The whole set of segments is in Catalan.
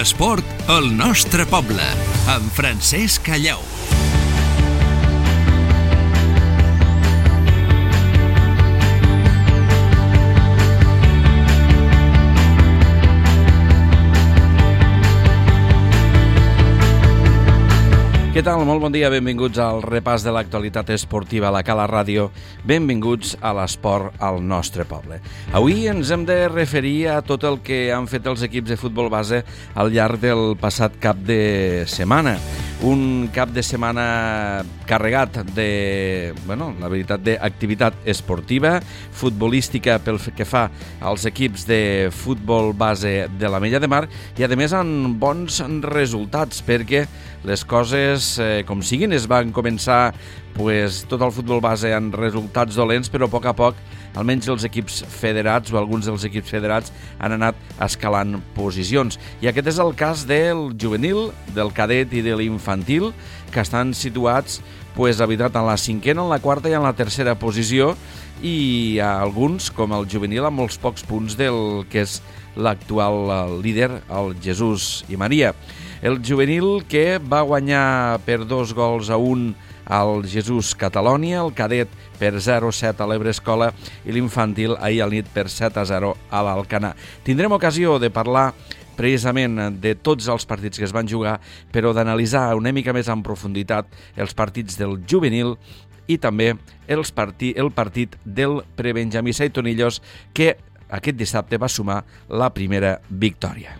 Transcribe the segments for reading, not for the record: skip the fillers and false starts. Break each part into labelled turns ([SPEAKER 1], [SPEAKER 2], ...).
[SPEAKER 1] L'esport al nostre poble, amb Francesc Callau.
[SPEAKER 2] Què tal? Molt bon dia, benvinguts al repàs de l'actualitat esportiva a la Cala Ràdio. Benvinguts a l'esport al nostre poble. Avui ens hem de referir a tot el que han fet els equips de futbol base al llarg del passat cap de setmana. Un cap de setmana carregat de, la veritat, d'activitat esportiva, futbolística pel que fa als equips de futbol base de l'Ametlla de Mar i, a més, amb bons resultats, perquè les coses, com siguin, es van començar tot el futbol base amb resultats dolents, però a poc, almenys els equips federats o alguns dels equips federats han anat escalant posicions. I aquest és el cas del juvenil, del cadet i de l'infantil, que estan situats, la veritat, en la cinquena, en la quarta i en la tercera posició, i alguns, com el juvenil, amb molts pocs punts del que és l'actual líder, el Jesús i Maria. El juvenil que va guanyar per 2-1 al Jesús Catalònia, el cadet per 0-7 a l'Ebre Escola i l'infantil ahir al nit per 7-0 a l'Alcanar. Tindrem ocasió de parlar precisament de tots els partits que es van jugar, però d'analitzar una mica més en profunditat els partits del juvenil i també el partit del prebenjamí Saitonillos, que aquest dissabte va sumar la primera victòria.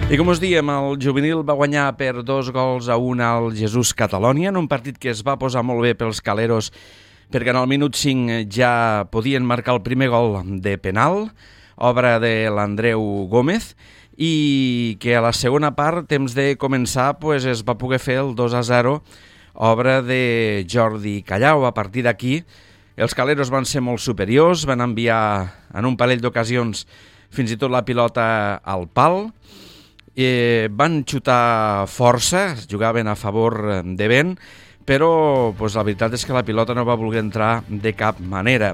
[SPEAKER 2] I com us diem, el juvenil va guanyar per 2-1 al Jesús Catalònia, en un partit que es va posar molt bé pels caleros, perquè en el minut 5 ja podien marcar el primer gol de penal, obra de l'Andreu Gómez, i que a la segona part, temps de començar, es va poder fer el 2-0, obra de Jordi Callau. A partir d'aquí, els caleros van ser molt superiors, van enviar en un parell d'ocasions fins i tot la pilota al pal, van xutar força, jugaven a favor de vent, però la veritat és que la pilota no va voler entrar de cap manera.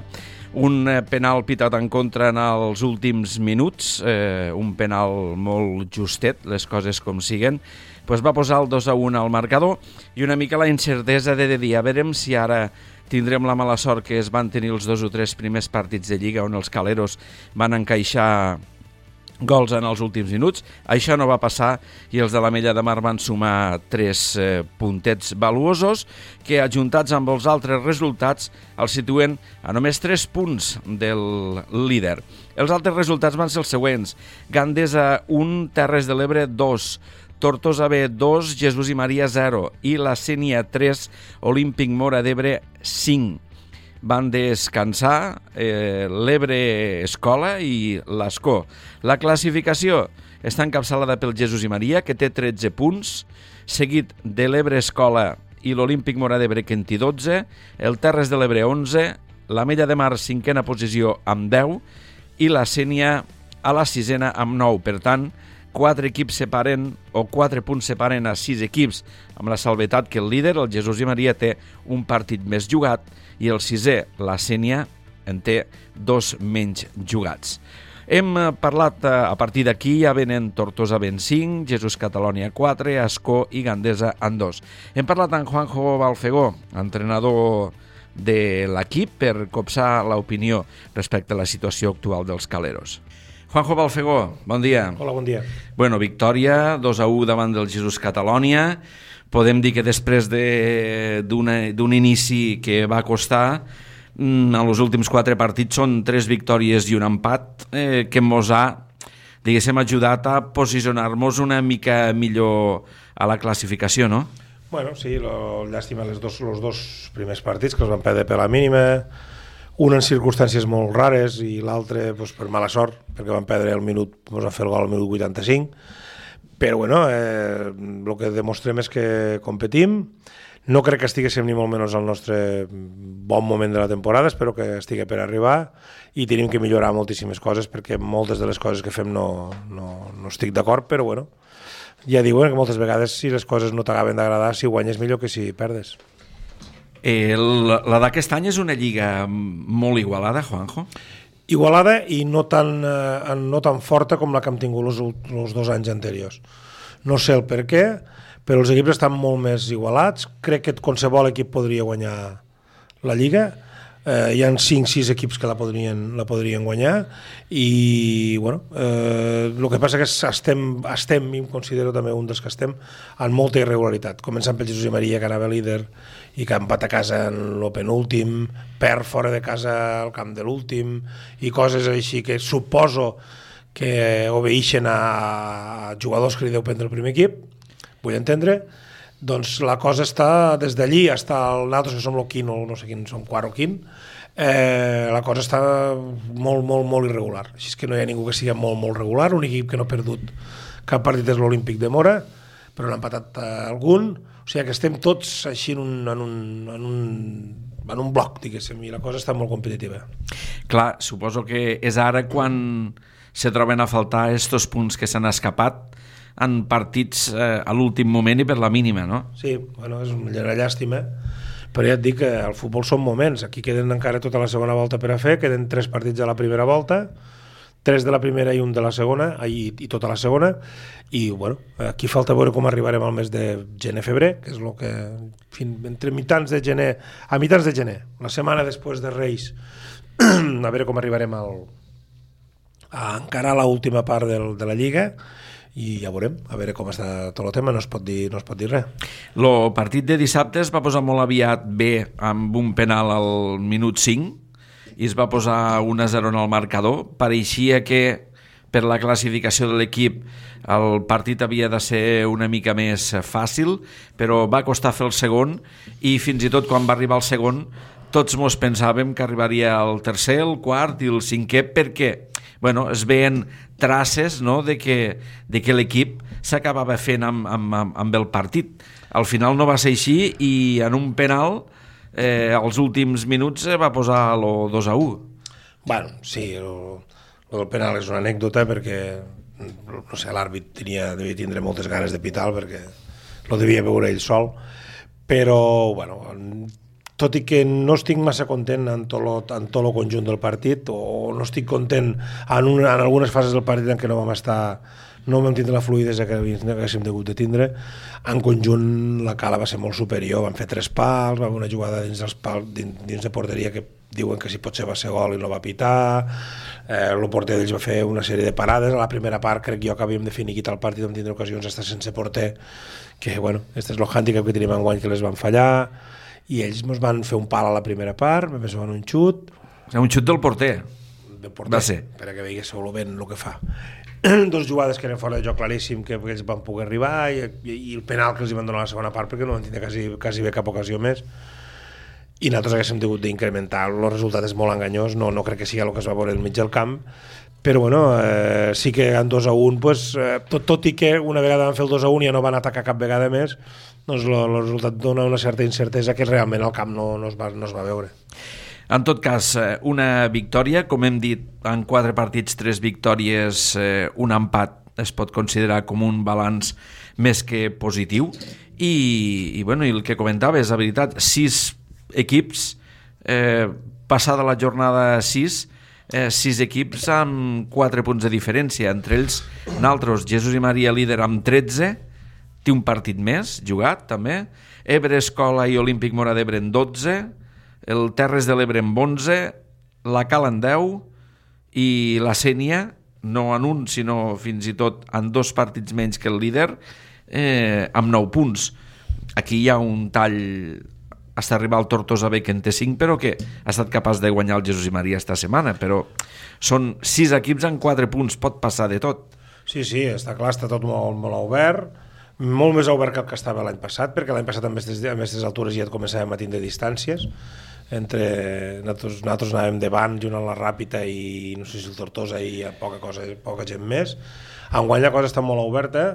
[SPEAKER 2] Un penal pitat en contra en els últims minuts, un penal molt justet, les coses com siguen, va posar el 2-1 al marcador i una mica la incertesa de dir, a veure si ara tindrem la mala sort que es van tenir els 2 o 3 primers partits de Lliga on els caleros van encaixar gols en els últims minuts. Això no va passar i els de l'Ametlla de Mar van sumar 3 puntets valuosos que, ajuntats amb els altres resultats, els situen a només 3 punts del líder. Els altres resultats van ser els següents: Gandesa 1, Terres de l'Ebre 2, Tortosa B 2, Jesús i Maria 0 i la Sénia 3, Olímpic Móra d'Ebre 5. Van descansar l'Ebre Escola i l'Escó. La classificació està encapçalada pel Jesús i Maria, que té 13 punts, seguit de l'Ebre Escola i l'Olímpic Móra d'Ebre, que en té 12, el Terres de l'Ebre 11, l'Ametlla de Mar 5a posició amb 10 i la Sénia a la 6a amb 9. Per tant, 4 equips separen o 4 punts separen a 6 equips, amb la salvetat que el líder, el Jesús i Maria, té un partit més jugat i el 6è, la Sénia, en té 2 menys jugats. Hem parlat, a partir d'aquí ja venen Tortosa en 5, Jesús Catalònia 4, Escó i Gandesa en 2. Hem parlat amb Juanjo Balfegó, entrenador de l'equip, per copsar l'opinió respecte a la situació actual dels caleros. Juanjo Balfegó, bon dia.
[SPEAKER 3] Hola, bon dia.
[SPEAKER 2] Victòria 2-1 davant del Jesús Catalònia. podem dir que després d'un inici que va costar, a els últims 4 partits són 3 victòries i un empat, que mos ha, diguéssim, ajudat a posicionar-nos una mica millor a la classificació, no?
[SPEAKER 3] Bueno, sí, llàstima els dos primers partits, que els van perdre per la mínima, un en circumstàncies molt rares i l'altre pues, per mala sort, perquè van perdre el minut, ens van fer el gol al minut 85, però bueno, el que demostrem és que competim. No crec que estiguéssim ni molt menys al nostre bon moment de la temporada, espero que estigui per arribar i tenim que millorar moltíssimes coses perquè moltes de les coses que fem no estic d'acord, però bueno, ja diuen que moltes vegades si les coses no t'acaben d'agradar, si guanyes millor que si perdes.
[SPEAKER 2] La d'aquest any és una lliga molt igualada, Juanjo?
[SPEAKER 3] Igualada i no tan forta com la que hem tingut els 2 anys anteriors. No sé el per què, però els equips estan molt més igualats. Crec que qualsevol equip podria guanyar la Lliga. Hi ha 5-6 equips que la podrien guanyar i bueno, el que passa que estem, i em considero també un dels que estem, en molta irregularitat, començant pel Jesús i Maria, que anava líder i que ha empat a casa en el penúltim, perd fora de casa al camp de l'últim i coses així que suposo que obeixen a jugadors que li deu prendre el primer equip, vull entendre. Doncs la cosa està des d'allí fins al nosaltres que som el quin o no sé quin, som quart o quin, la cosa està molt irregular, així és que no hi ha ningú que sigui molt regular. Un equip que no ha perdut cap partit és l'Olímpic de Mora, però n'ha empatat algun, o sigui que estem tots així en un bloc, diguéssim, i la cosa està molt competitiva.
[SPEAKER 2] Clar, suposo que és ara quan se troben a faltar estos punts que s'han escapat en partits a l'últim moment i per la mínima, no?
[SPEAKER 3] Sí, bueno, és una llàstima, però ja et dic que al futbol són moments, aquí queden encara tota la segona volta per a fer, queden 3 partits a la primera volta, 3 de la primera i un de la segona, i tota la segona, i bueno, aquí falta veure com arribarem al mes de gener-febrer, que és el que entre mitjans de gener, a mitjans de gener, la setmana després de Reis, a veure com arribarem a encarar l'última part de la Lliga, i ja veurem, a veure com està tot el tema, no es pot dir res.
[SPEAKER 2] El partit de dissabte es va posar molt aviat bé amb un penal al minut 5 i es va posar 1-0 en el marcador. Pareixia que per la classificació de l'equip el partit havia de ser una mica més fàcil, però va costar fer el segon i fins i tot quan va arribar el segon tots mos pensàvem que arribaria el tercer, el quart i el cinquè, perquè bueno, es veien traces, no?, de que l'equip s'acabava fent amb el partit. Al final no va ser així i en un penal als últims minuts va posar el 2-1.
[SPEAKER 3] Bueno, sí, el del penal és una anècdota perquè no sé, l'àrbit devia tindre moltes ganes de pitar perquè lo devia veure ell sol, però bueno, tot i que no estic massa content en tot el conjunt del partit, o no estic content en algunes fases del partit en què no vam tindre la fluïdesa que haguéssim degut de tindre, en conjunt la Cala va ser molt superior, van fer 3 pals, va haver una jugada dins de porteria que diuen que si potser va ser gol i no va pitar, el porter d'ells va fer una sèrie de parades, a la primera part crec jo que havíem de finiquitar el partit, vam tindre ocasions estar sense porter, que bueno, este és el handicap que tenim enguany, que les van fallar, i ells ens van fer un pal a la primera part, més van un xut.
[SPEAKER 2] Un xut del porter. Va ser.
[SPEAKER 3] Per que veiéssiu ben el que fa. 2 jugades que eren fora de joc claríssim, que ells van poder arribar, i el penal que els van donar a la segona part, perquè no van tindre quasi bé cap ocasió més. I nosaltres haguéssim hagut d'incrementar. El resultat és molt enganyós, no crec que sigui el que es va veure al mig del camp, però bueno, sí que en 2-1, pues, tot i que una vegada van fer el 2-1 i ja no van atacar cap vegada més, doncs el resultat dona una certa incertesa que realment al camp no es va veure.
[SPEAKER 2] En tot cas, una victòria, com hem dit, en 4 partits, 3 victòries, un empat es pot considerar com un balanç més que positiu, i bueno, i el que comentava és la veritat, 6 equips, passada la jornada 6 equips amb 4 punts de diferència, entre ells nosaltres, Jesús i Maria líder amb 13, té un partit més jugat també, Ebre, Escola i Olímpic Mora d'Ebre en 12, el Terres de l'Ebre en 11, la Cala en 10 i la Sénia, no en un sinó fins i tot en 2 partits menys que el líder, amb 9 punts. aquí hi ha un tall fins a arribar al Tortosa B, que en té 5, però que ha estat capaç de guanyar el Jesús i Maria esta setmana, però són 6 equips en 4 punts, pot passar de tot.
[SPEAKER 3] Sí, està clar, està tot molt, molt obert, molt més obert que el que estava l'any passat, perquè l'any passat a aquestes altures ja et començàvem a tindre distàncies, entre nosaltres anàvem davant junt amb la Ràpita i no sé si el Tortosa i poca gent més. Enguany la cosa està molt oberta,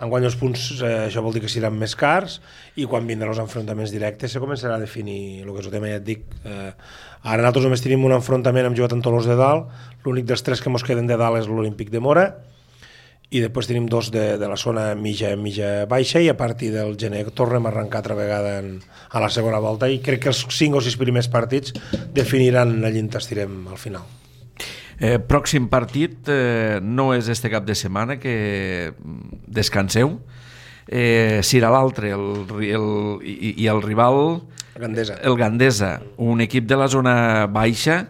[SPEAKER 3] enguany els punts això vol dir que seran més cars, i quan vindran els enfrontaments directes se començarà a definir el que és el tema, ja et dic. Ara nosaltres només tenim un enfrontament, hem jugat amb Tolors de Dalt, l'únic dels 3 que ens queden de dalt és l'Olímpic de Mora, i després tenim 2 de la zona mitja baixa, i a partir del gener tornem a arrencar altra vegada a la segona volta, i crec que els 5 o 6 primers partits definiran allí on estirem al final.
[SPEAKER 2] Pròxim partit no és este cap de setmana, que descanseu, serà l'altre, i el rival el Gandesa, un equip de la zona baixa.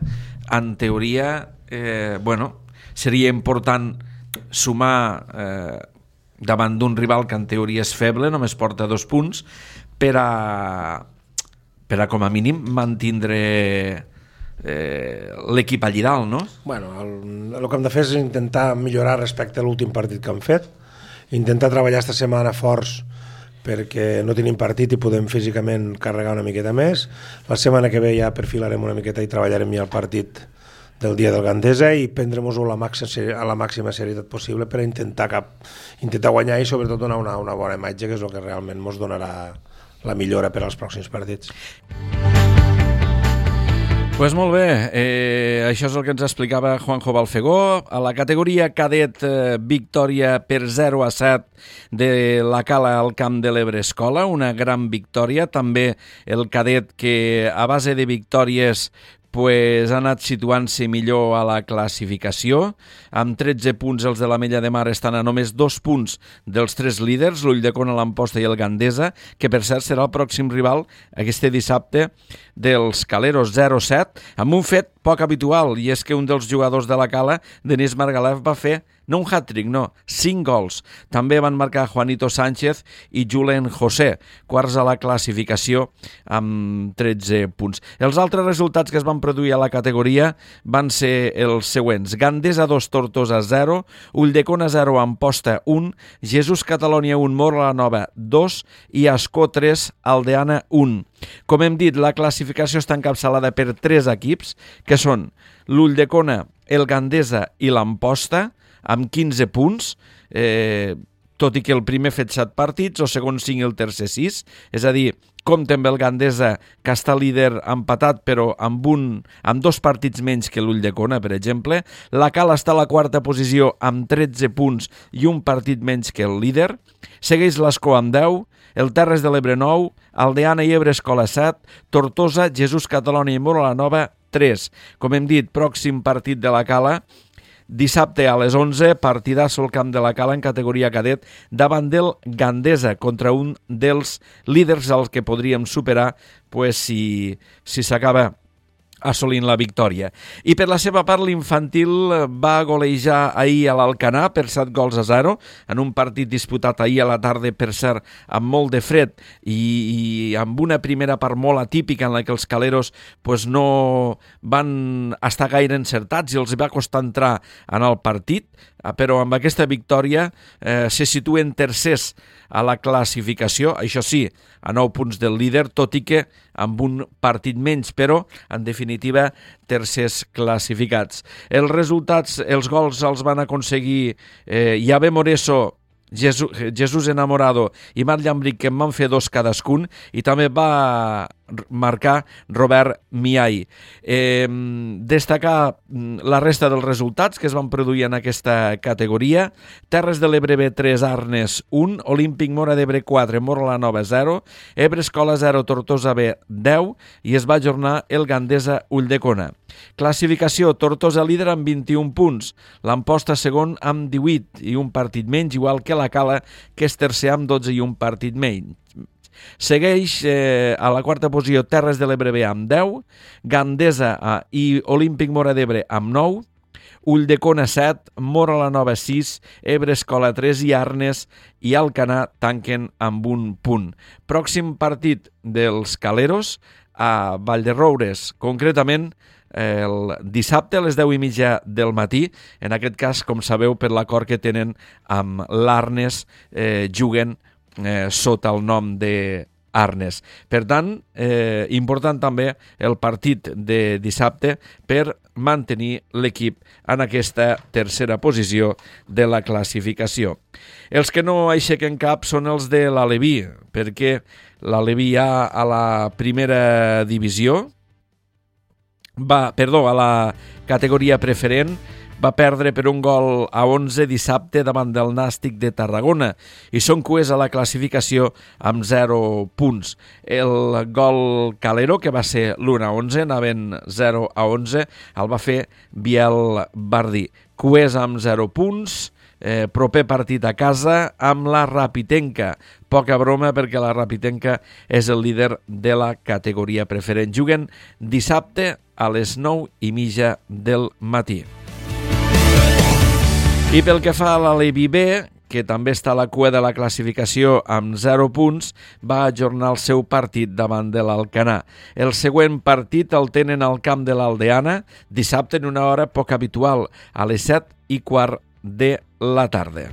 [SPEAKER 2] En teoria seria important sumar davant d'un rival que en teoria és feble, només porta 2 punts, per a com a mínim mantindre l'equip allí dalt, no?
[SPEAKER 3] El que hem de fer és intentar millorar respecte a l'últim partit que hem fet, intentar treballar esta setmana forts perquè no tenim partit i podem físicament carregar una miqueta més. La setmana que ve ja perfilarem una miqueta i treballarem ja el partit del dia del Gandesa i prendrem-ho a la màxima serietat possible per intentar guanyar i sobretot donar una bona imatge, que és el que realment ens donarà la millora per als pròxims partits.
[SPEAKER 2] Pues molt bé, això és el que ens explicava Juanjo Balfegó. A la categoria cadet, victòria per 0-7 de la Cala al Camp de l'Ebre Escola, una gran victòria. També el cadet que a base de victòries ha anat situant-se millor a la classificació. Amb 13 punts els de l'Ametlla de Mar estan a només 2 punts dels 3 líders, l'Ulldecona, l'Amposta i el Gandesa, que per cert serà el pròxim rival aquest dissabte dels Caleros, 0-7, amb un fet poc habitual, i és que un dels jugadors de la Cala, Denis Margalef, va fer no un hat-trick, no, 5 gols. També van marcar Juanito Sánchez i Julen José, quarts a la classificació amb 13 punts. Els altres resultats que es van produir a la categoria van ser els següents: Gandesa 2, Tortosa 0, Ulldecona 0, Amposta 1, Jesús Catalònia 1, Móra la Nova 2 i Ascó 3, Aldeana 1. Com hem dit, la classificació està encapçalada per 3 equips, que són l'Ulldecona, el Gandesa i l'Amposta, amb 15 punts, tot i que el primer fet 7 partits, el segon 5 i el tercer 6, és a dir, compta amb el Gandesa, que està líder empatat, però amb 2 partits menys que l'Ulldecona, per exemple. La Cala està a la 4a posició amb 13 punts i un partit menys que el líder. Segueix l'Ascó amb 10, el Terres de l'Ebre 9, Aldeana i Ebre Escola 7, Tortosa, Jesús Catalònia i Móra la Nova 3. Com hem dit, pròxim partit de la Cala, dissabte a les 11, partidasso al Camp de la Cala en categoria cadet davant del Gandesa, contra un dels líders als que podríem superar si s'acaba assolint la victòria. I per la seva part, l'infantil va golejar ahir a l'Alcanar per 7 gols a 0, en un partit disputat ahir a la tarda, per cert, amb molt de fred i amb una primera part molt atípica en la que els caleros no van estar gaire encertats i els va costar entrar en el partit, però amb aquesta victòria se situen tercers a la classificació, això sí, a 9 punts del líder, tot i que amb un partit menys, però en definitiva tercers classificats. Els resultats, els gols els van aconseguir Yahvé Moreso, Jesús Enamorado i Marc Llambric, que en van fer 2 cadascun, i també va marcar Robert Miai. Destacar la resta dels resultats que es van produir en aquesta categoria: Terres de l'Ebre B 3, Arnes 1, Olímpic Móra d'Ebre 4, Móra la Nova 0, Ebre Escola 0, Tortosa B 10 i es va ajornar el Gandesa Ulldecona. Classificació: Tortosa líder amb 21 punts, l'Amposta segon amb 18 i un partit menys, igual que la Cala, que és tercer amb 12 i un partit menys. Segueix a la 4a posició Terres de l'Ebre B amb 10, Gandesa i Olímpic Móra d'Ebre amb 9, Ulldecona 7, Móra la Nova 6, Ebre Escola 3 i Arnes i Alcanar tanquen amb un punt. Pròxim partit dels Caleros a Vallderoures, concretament el dissabte a les 10:30 del matí. En aquest cas, com sabeu, per l'acord que tenen amb l'Arnes, juguen sota el nom de Arnes. Per tant, important també el partit de dissabte per mantenir l'equip en aquesta tercera posició de la classificació. Els que no aixequen cap són els de l'Aleví, perquè l'Aleví ja a la primera divisió, a la categoria preferent, va perdre per 1-11 dissabte davant del Nàstic de Tarragona i són cuers a la classificació amb 0 punts. El gol Calero, que va ser l'1-11, anaven 0-11, el va fer Biel Bardí. Cuers amb 0 punts, proper partit a casa amb la Rapitenca. Poca broma perquè la Rapitenca és el líder de la categoria preferent. Juguen dissabte a les 9:30 del matí. I pel que fa a l'Aleví B, que també està a la cua de la classificació amb 0 punts, va ajornar el seu partit davant de l'Alcanar. El següent partit el tenen al camp de l'Aldeana, dissabte en una hora poc habitual, a les 7:15 de la tarda.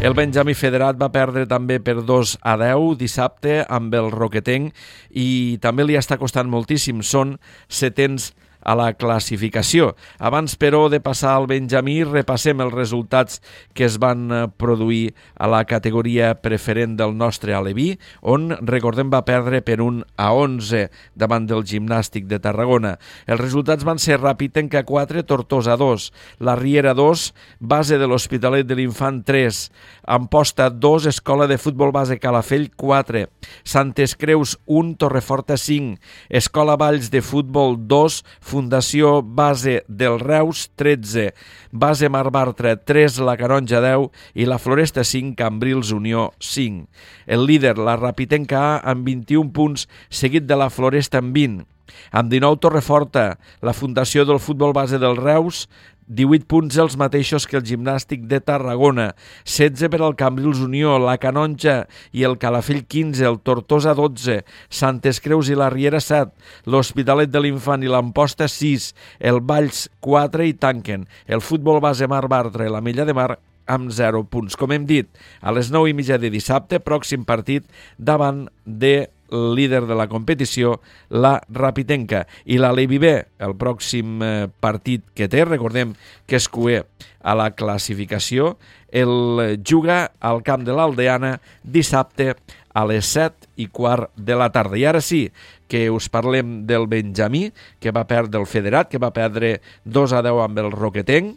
[SPEAKER 2] El Benjamí Federat va perdre també per 2-10 dissabte amb el Roquetenc i també li està costant moltíssim, són setens a la classificació. Abans, però, de passar al Benjamí, repassem els resultats que es van produir a la categoria preferent del nostre Aleví, on, recordem, va perdre per 1-11 davant del Gimnàstic de Tarragona. Els resultats van ser Rapitenca 4, Tortosa 2, la Riera 2, base de l'Hospitalet de l'Infant 3, Amposta 2, Escola de Futbol Base Calafell 4, Santes Creus 1, Torreforta 5, Escola Valls de Futbol 2, Fundació Base del Reus 13, Base Mar Bartra 3, la Canonja 10 i la Floresta 5, Cambrils Unió 5. El líder, la Rapitenca A, amb 21 punts, seguit de la Floresta amb 20. Amb 19, Torreforta, la Fundació del Futbol Base del Reus, 18 punts els mateixos que el Gimnàstic de Tarragona, 16 per al Cambrils Unió, la Canonja i el Calafell 15, el Tortosa 12, Santes Creus i la Riera 7, l'Hospitalet de l'Infant i l'Amposta 6, el Valls 4 i tanquen el Futbol Base Mar Bartra i la Mella de Mar amb 0 punts. Com hem dit, a les 9:30 de dissabte, pròxim partit davant de líder de la competició, la Rapitenca. I l'Aleví B, el pròxim partit que té, recordem que és cuer a la classificació, el juga al camp de l'Aldeana dissabte a les 7:15 de la tarda. I ara sí, que us parlem del Benjamí, que va perdre el Federat, que va perdre 2-10 amb el Roquetenc,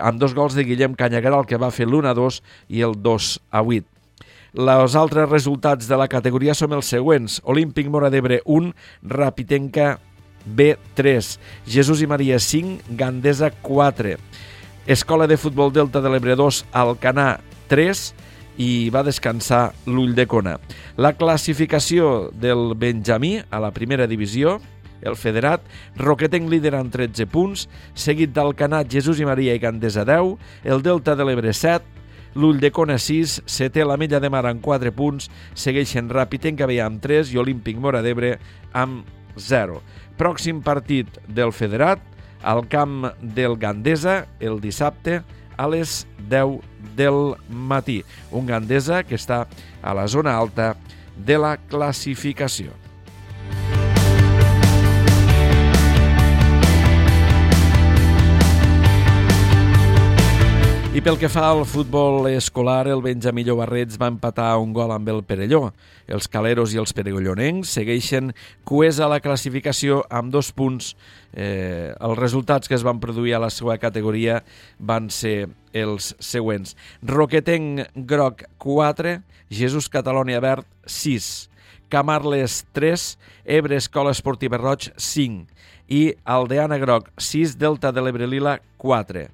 [SPEAKER 2] amb 2 gols de Guillem Canyagueral, que va fer l'1-2 i el 2-8. Els altres resultats de la categoria són els següents: Olímpic Móra d'Ebre 1, Rapitenca B 3, Jesús i Maria 5, Gandesa 4, Escola de Futbol Delta de l'Ebre 2, Alcanar 3 i va descansar l'Ulldecona. La classificació del Benjamí a la primera divisió: el Federat, Roquetenc líder amb 13 punts, seguit d'Alcanar, Jesús i Maria i Gandesa 10, el Delta de l'Ebre 7, l'Ulldecona 6, setè la Mella de Mar amb 4 punts, segueixen Rapitenca B amb 3 i Olímpic Móra d'Ebre amb 0. Pròxim partit del Federat, al camp del Gandesa, el dissabte a les 10 del matí. Un Gandesa que està a la zona alta de la classificació. I pel que fa al futbol escolar, el Benjamí Llobarrets va empatar un gol amb el Perelló. Els caleros i els perellonencs segueixen cuers a la classificació amb 2 punts. Els resultats que es van produir a la seva categoria van ser els següents: Roquetenc groc 4, Jesús Catalònia verd 6, Camarles 3, Ebre Escola Esportiva Roig 5 i Aldeana Groc 6, Delta de l'Ebre Lila 4.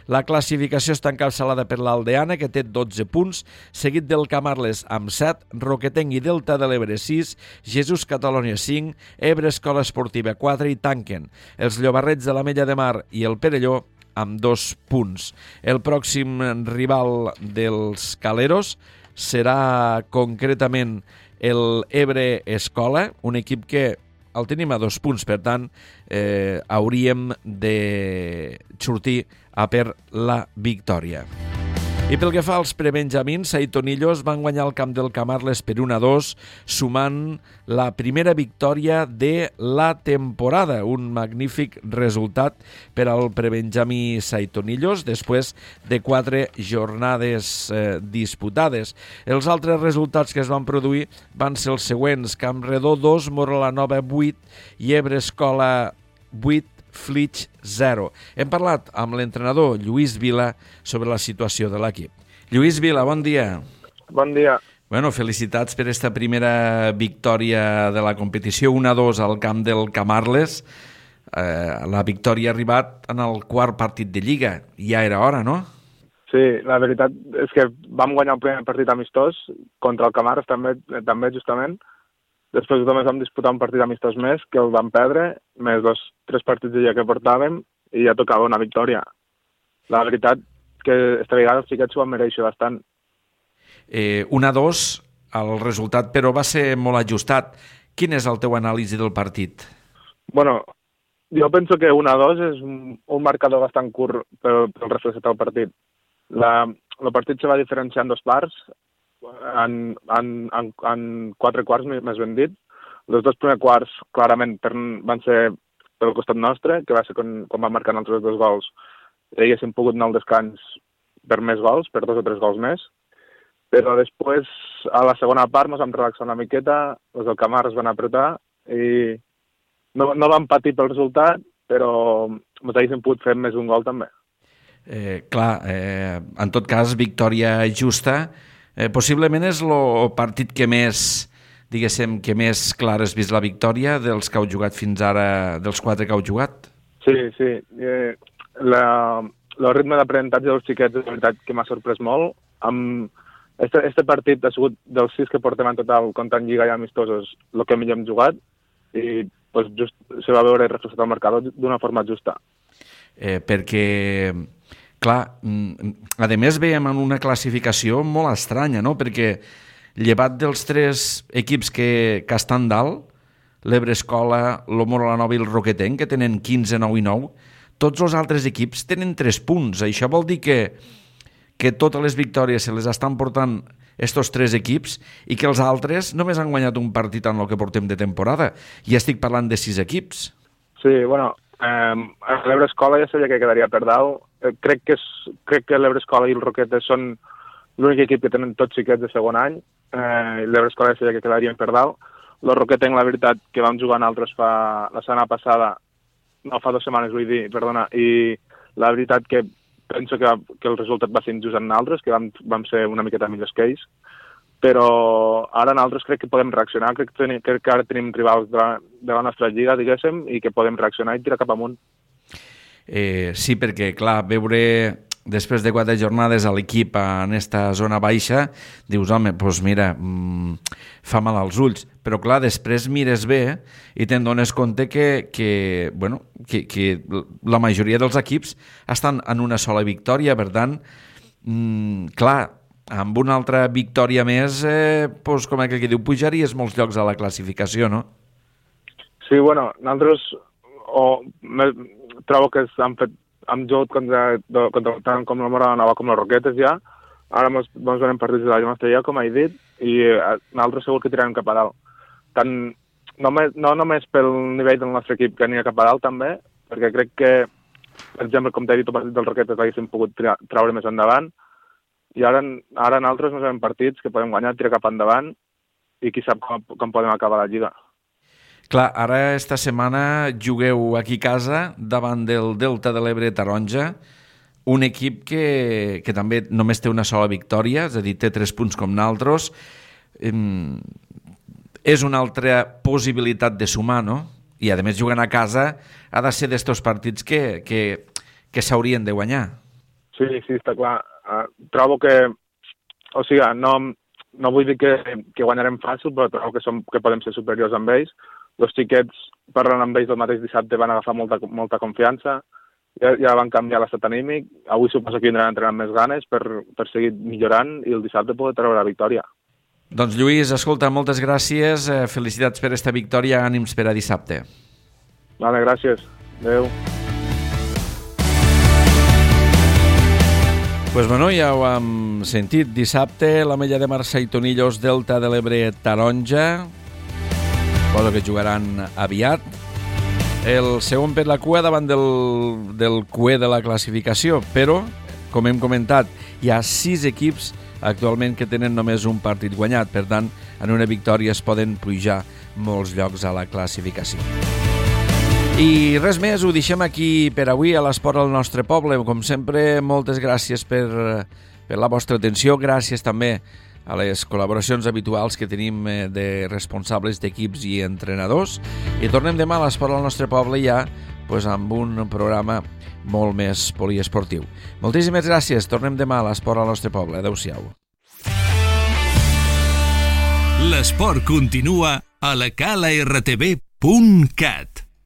[SPEAKER 2] La classificació està encapçalada per l'Aldeana, que té 12 punts, seguit del Camarles amb 7, Roquetenc i Delta de l'Ebre 6, Jesús Catalònia 5, Ebre Escola Esportiva 4 i tanquen els Llobarrets de l'Ametlla de Mar i el Perelló amb 2 punts. El pròxim rival dels Caleros serà concretament el Ebre Escola, un equip que el tenim a 2 punts, per tant, hauríem de sortir a per la victòria. I pel que fa als prebenjamins, Saitonillos van guanyar el camp del Camarles per 1-2, sumant la primera victòria de la temporada. Un magnífic resultat per al prebenjamí Saitonillos després de 4 jornades disputades. Els altres resultats que es van produir van ser els següents: Campredó 2, Morola Nova 8 i Ebre Escola 8, Flix 0. Hem parlat amb l'entrenador Lluís Vila sobre la situació de l'equip. Lluís Vila, bon dia.
[SPEAKER 4] Bon dia.
[SPEAKER 2] Bueno, felicitats per esta primera victòria de la competició, 1-2 al camp del Camarles. La victòria ha arribat en el quart partit de Lliga. Ja era hora, no?
[SPEAKER 4] Sí, la veritat és que vam guanyar el primer partit amistós contra el Camarles també justament. Després només vam disputar un partit amistós més, que el vam perdre, més 3 partits de Lliga que portàvem, i ja tocava una victòria. La veritat que esta vegada els xiquets s'ho van mereixer bastant.
[SPEAKER 2] 1-2, el resultat, però va ser molt ajustat. Quin és el teu anàlisi del partit?
[SPEAKER 4] Bueno, jo penso que 1-2 és un marcador bastant curt pel reflexat del partit. El partit se va diferenciar en 2 parts, en 4 quarts, més ben dit. Els 2 primers quarts clarament van ser pel costat nostre, que va ser quan van marcar els altres 2 gols. Haguéssim pogut anar al descans per més gols, per 2 o 3 gols més, però després, a la segona part, ens vam relaxar una miqueta, els del Camarles van apretar i no vam patir pel resultat, però ens haguéssim pogut fer més d'un gol també.
[SPEAKER 2] En tot cas, victòria justa. Possiblement és el partit que més, diguéssim, que més clar has vist la victòria dels que heu jugat fins ara, dels 4 que heu jugat?
[SPEAKER 4] Sí. El ritme d'aprenentatge dels xiquets és la veritat que m'ha sorprès molt. Este partit ha sigut dels 6 que portem en total, comptant Lliga i amistosos, el que millor hem jugat, i just se va veure reflexat el marcador d'una forma justa.
[SPEAKER 2] Perquè... Clar, a més veiem en una classificació molt estranya, no? Perquè llevat dels 3 equips que estan dalt, l'Ebre Escola, el Morola Nova i el Roquetenc, que tenen 15, 9 i 9, tots els altres equips tenen 3 punts. Això vol dir que totes les victòries se les estan portant estos 3 equips i que els altres només han guanyat un partit en el que portem de temporada. I estic parlant de 6 equips.
[SPEAKER 4] Sí, bueno, l'Ebre Escola ja sabia que quedaria per dalt. Crec que l'Ebre Escola i el Roquetes són l'únic equip que tenen tots xiquets de segon any. L'Ebre Escola ja sabia que quedarien per dalt. El Roquetenc, la veritat, que vam jugar nosaltres la setmana passada, no, fa 2 setmanes, vull dir, perdona, i la veritat que penso que el resultat va ser injust en nosaltres, que vam ser una miqueta millors que ells, però ara nosaltres crec que podem reaccionar, crec que ara tenim rivals de la nostra lliga, diguéssim, i que podem reaccionar i tirar cap amunt.
[SPEAKER 2] Sí, perquè, clar, veure després de 4 jornades a l'equip en esta zona baixa, dius, home, doncs mira, fa mal als ulls. Però, clar, després mires bé i te'n dones compte que la majoria dels equips estan en una sola victòria. Per tant, clar, amb una altra victòria més, com aquell que diu, pujaries molts llocs a la classificació, no?
[SPEAKER 4] Sí, bueno, nosaltres trobo que hem jugat contra tant com la Morola Nova com les Roquetes ja. Ara ens donem partits de la nostra lliga, com he dit, i nosaltres segur que tirarem cap a dalt. No només pel nivell del nostre equip que anirà cap a dalt també, perquè crec que, per exemple, com t'he dit, el partit dels Roquetes l'haguéssim pogut traure més endavant, i ara nosaltres ens hem partits que podem guanyar, tirar cap endavant, i qui sap com podem acabar la lliga.
[SPEAKER 2] Clar, ara esta setmana jugueu aquí a casa davant del Delta de l'Ebre Taronja, un equip que també només té una sola victòria, és a dir, té 3 punts com nosaltres. És una altra possibilitat de sumar, no? i a més jugant a casa ha de ser d'estos partits que s'haurien de guanyar.
[SPEAKER 4] Sí, està clar. Trobo que, o sigui, no vull dir que guanyarem fàcil, però trobo que podem ser superiors amb ells. Els xiquets, parlant amb ells el mateix dissabte, van agafar molta confiança, ja van canviar l'estat anímic. Avui suposo que vindran entrenant més ganes per seguir millorant i el dissabte poder treure la victòria.
[SPEAKER 2] Doncs Lluís, escolta, moltes gràcies, felicitats per esta victòria, ànims per a dissabte.
[SPEAKER 4] Vale, gràcies. Adéu.
[SPEAKER 2] Pues bueno, ja ho hem sentit. Dissabte, l'Ametlla de Marçà i Tonillos, Delta de l'Ebre, Taronja, cosa que jugaran aviat. El segon per la cua davant del cuer de la classificació, però, com hem comentat, hi ha 6 equips actualment que tenen només un partit guanyat, per tant, en una victòria es poden pujar molts llocs a la classificació. I res més, ho deixem aquí per avui a l'Esport al nostre poble. Com sempre, moltes gràcies per la vostra atenció, gràcies també a les col·laboracions habituals que tenim de responsables d'equips i entrenadors, i tornem demà a l'Esport al nostre poble ja amb un programa molt més poliesportiu. Moltíssimes gràcies, tornem demà a l'Esport al nostre poble. Adéu-siau.
[SPEAKER 1] L'esport continua a la calartv.cat.